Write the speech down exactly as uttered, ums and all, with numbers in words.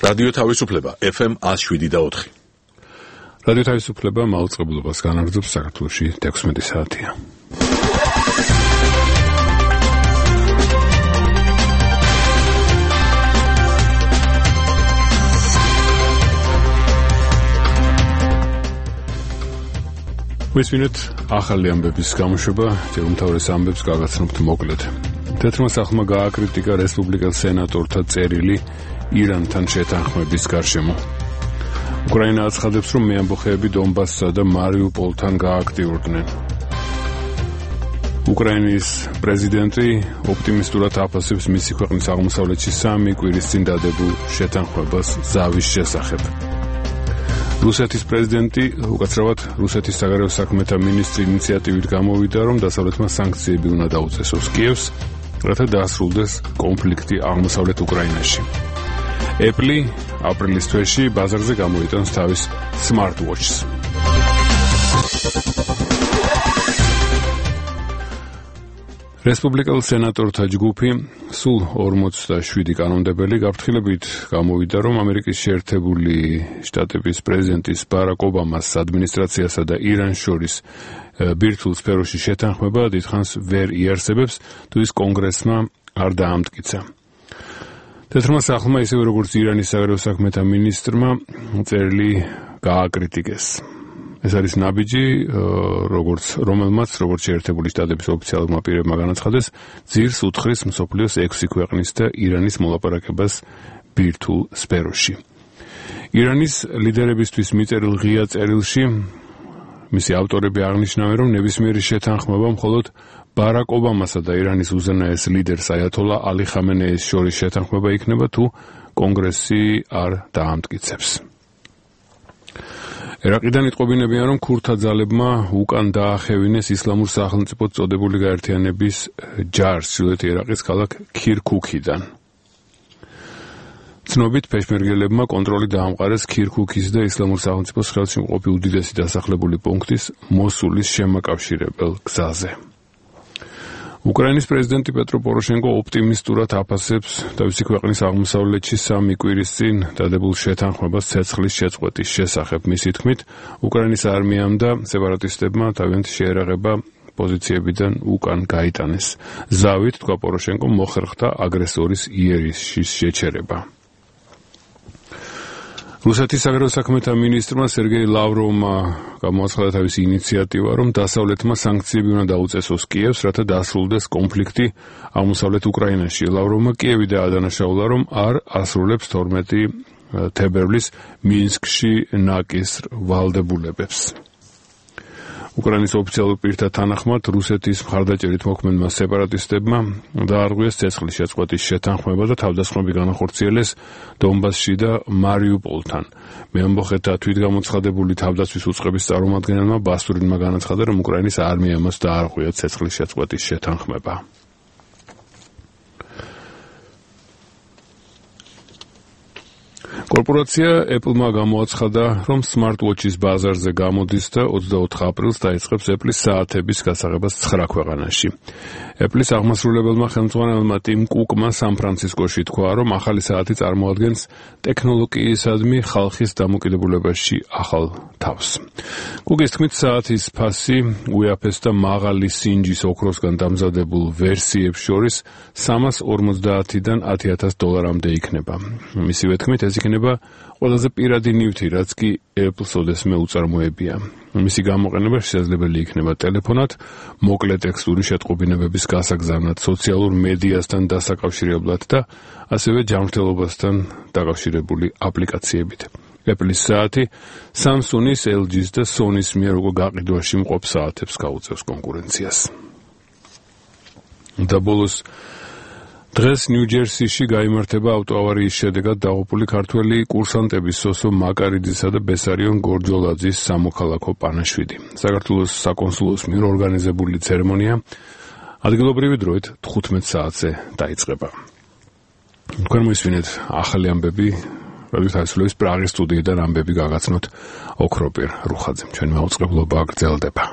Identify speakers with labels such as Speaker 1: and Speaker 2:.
Speaker 1: რადიო თავისუფლება ეფ ემ one oh seven და four.
Speaker 2: რადიო თავისუფლება მაუწყებლობას განაგრძობს საქართველოში თექვსმეტი საათია. ვისმინეთ ახალი ამბების გამოშვება, ჯერ უმთავრეს ამბებს გაგაცნობთ მოკლედ. თეთრმა სახლმა გააკრიტიკა რესპუბლიკელ სენატორთა წერილი ირანთან შეთანხმების გარშემო. უკრაინა აცხადებს, რომ მეამბოხეები დონბასსა და მარიუპოლთან გააქტიურდნენ. უკრაინის პრეზიდენტი ოპტიმისტურად აფასებს მისი ქვეყნის აღმოსავლეთში სამი კვირის წინ დადებულ შეთანხმებას ზავის შესახებ. რუსეთის პრეზიდენტი, უკაცრავად რუსეთის საგარეო საქმეთა მინისტრი ინიციატივით გამოვიდა, რომ დასავლეთმა სანქციები უნდა დაუწესოს კიევს, რათა დაასრულდეს კონფლიქტი აღმოსავლეთ უკრაინაში. Apple აპრილის თვეში ბაზარზე გამოიტანს თავის smartwatch-ს. რესპუბლიკელ სენატორთა ჯგუფი სულ ორმოცდაშვიდი კანონმდებელი გაფრთხილებით გამოვიდა, რომ ამერიკის შეერთებული შტატების პრეზიდენტის ბარაკ ობამას ადმინისტრაციასა და ირანს შორის ბირთვულ სფეროში შეთანხმება დიდხანს ვერ იარსებებს, თუ ის კონგრესმა არ დაამტკიცა. თეთრმა სახლმა, ისევე როგორც ირანის საგარეო საქმეთა მინისტრმა, წერილი გააკრიტიკეს. ეს არის ნაბიჯი, როგორც რომელმაც, როგორც შეერთებული შტატების ოფიციალურმა პირებმა განაცხადეს, ძირს უთხრის მსოფლიოს ექვსი ქვეყნის და ირანის მოლაპარაკებას ბირთვულ სფეროში. ირანის ლიდერებისთვის მიწერილ ღია წერილში მისი ავტორები აღნიშნავენ, რომ ნებისმიერი შეთანხმება მხოლოდ ბარაკ ობამასა და ირანის უზენაეს ლიდერს აიათოლა ალი ხამენეის შორის შეთანხმება იქნება, თუ კონგრესი არ დაამტკიცებს. ერაყიდან იტყობინებიან, რომ ქურთა ძალებმა უკან დაახევინეს ისლამურ სახელმწიფოდ წოდებული გაერთიანების ჯარს ჩრდილოეთ ერაყის ქალაქ ქირქუქიდან. ცნობით პეშმერგელებმა კონტროლი დაამყარეს ქირქუქის და ისლამურ სახელმწიფოს ხელში მყოფი უდიდესი დასახლებული პუნქტის მოსულის შემაკავშირებელ გზაზე. უკრაინის პრეზიდენტი პეტრო პოროშენკო ოპტიმისტურად აფასებს თავისი ქვეყნის აღმოსავლეთში სამი კვირის წინ დადებულ შეთანხმებას ცეცხლის შეწყვეტის შესახებ. მისი თქმით, უკრაინის არმიამ და სეპარატისტებმა თავიანთი შეერაღება პოზიციებიდან უკან გაიტანეს. ზავით, თქვა პოროშენკომ, მოხერხდა აგრესორის იერიშის შეჩერება. რუსეთის საგარეო საქმეთა მინისტრმა სერგეი ლავროვმა გამოაცხადა თავისი ინიციატივა, რომ დასავლეთმა სანქციები უნდა დაუწესოს კიევს, რათა დაასრულდეს კონფლიქტი აღმოსავლეთ უკრაინაში. ლავროვმა კიევი დაადანაშაულა, რომ არ ასრულებს თორმეტი თებერვლის მინსკში ნაკის ვალდებულებებს. უკრაინის ოფიციალურ პირთა თანახმად, რუსეთის მხარდაჭერით მოქმედმა სეპარატისტებმა დაარღვიეს ცეცხლის შეწყვეტის შეთანხმება და თავდასხმები განახორციელეს დონბასში და მარიუპოლთან. მეამბოხეთა თვითგამოცხადებული თავდაცვის უწყების წარმომადგენელმა ბასტურინმა განაცხადა, რომ უკრაინის არმიამაც დაარღვია ცეცხლის შეწყვეტის შეთანხმება. კორპორაცია Apple-მა გამოაცხადა, რომ smartwatch-ის ბაზარზე გამოდის და ოცდაოთხ აპრილს დაიწყებს Apple-ის საათების გასაღებას ცხრა ქვეყანაში. Apple-ის აღმასრულებელმა ხელმძღვანელმა ტიმ კუკმა სან-ფრანცისკოში თქვა, რომ ახალი საათი წარმოადგენს ტექნოლოგიისადმი ხალხის დამოკიდებულებაში ახალ თავს. კუკის თქმით, საათის ფასი უეაფეს და მაღალი სინჯის ოქროსგან დამზადებულ ვერსიებს შორის სამას ორმოცდაათიდან ათი ათას დოლარამდე იქნება. მისივე თქმით, ეს იქნება ყველაზე პირადი ნივთი, რაც კი Apple-ს ოდესმე უწარმოებია. მისი გამოყენება შესაძლებელი იქნება ტელეფონად, მოკლე ტექსტური შეტყობინებების გასაგზავნად, სოციალურ მედიასთან დასაკავშირებლად და ასევე ჯანმრთელობასთან დაკავშირებული აპლიკაციებით. Apple-ის საათი Samsung-ის, ელ ჯის და Sony-ის მიერ უკვე გაყიდვაში მყოფ საათებს გაუწევს კონკურენციას. და ბოლოს დღეს ნიუ-ჯერსიში გაიმართება ავტოავარიის შედეგად დაღუპული ქართველი კურსანტების სოსო მაკარიძისა და ბესარიონ გორჯოლაძის სამოქალაქო პანაშვიდი. საქართველოს საკონსულოს მიერ ორგანიზებული ცერემონია ადგილობრივი დროით თხუთმეტ საათზე დაიწყება. თქვენ მოისმინეთ ახალი ამბები რადიო თავისუფლების პრაღის სტუდიიდან ამბები გაგაცნოთ ოქროპირ რუხაძემ. ჩვენი მაუწყებლობა გრძელდება.